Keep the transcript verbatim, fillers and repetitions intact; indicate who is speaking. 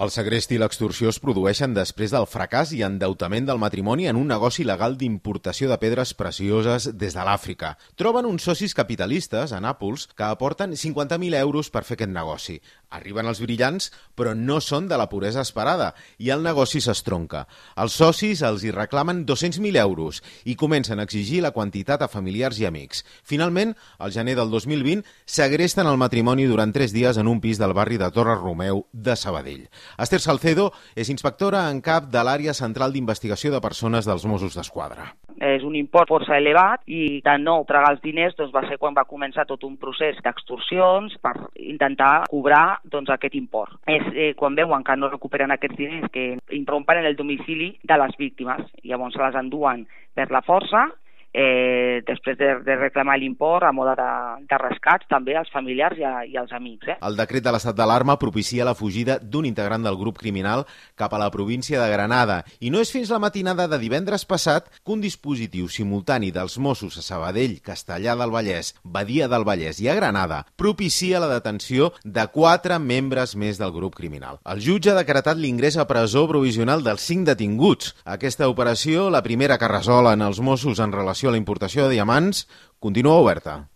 Speaker 1: El segrest i l'extorsió es produeixen després del fracàs i endeutament del matrimoni en un negoci legal d'importació de pedres precioses des de l'Àfrica. Troben uns socis capitalistes a Nàpols que aporten cinquanta mil euros per fer aquest negoci. Arriben els brillants, però no són de la puresa esperada i el negoci s'estronca. Els socis els hi reclamen dos-cents mil euros i comencen a exigir la quantitat a familiars i amics. Finalment, al gener del dos mil vint, segresten el matrimoni durant tres dies en un pis del barri de Torre Romeu de Sabadell. Esther Salcedo és inspectora en cap de l'àrea central d'investigació de persones dels Mossos d'Esquadra.
Speaker 2: És un import força elevat i de nou tragar els diners doncs, va ser quan va començar tot un procés d'extorsions per intentar cobrar doncs, aquest import. És eh, quan veuen que no recuperen aquests diners que irrompen en el domicili de les víctimes. Llavors se les enduen per la força, Eh, després de, de reclamar l'import a mode de, de rescats també als familiars i, a, i als amics. Eh?
Speaker 1: El decret de l'estat d'alarma propicia la fugida d'un integrant del grup criminal cap a la província de Granada i no és fins la matinada de divendres passat que un dispositiu simultani dels Mossos a Sabadell, Castellar del Vallès, Badia del Vallès i a Granada propicia la detenció de quatre membres més del grup criminal. El jutge ha decretat l'ingrés a presó provisional dels cinc detinguts. Aquesta operació, la primera que resolen els Mossos en relació a la importació de diamants, continua oberta.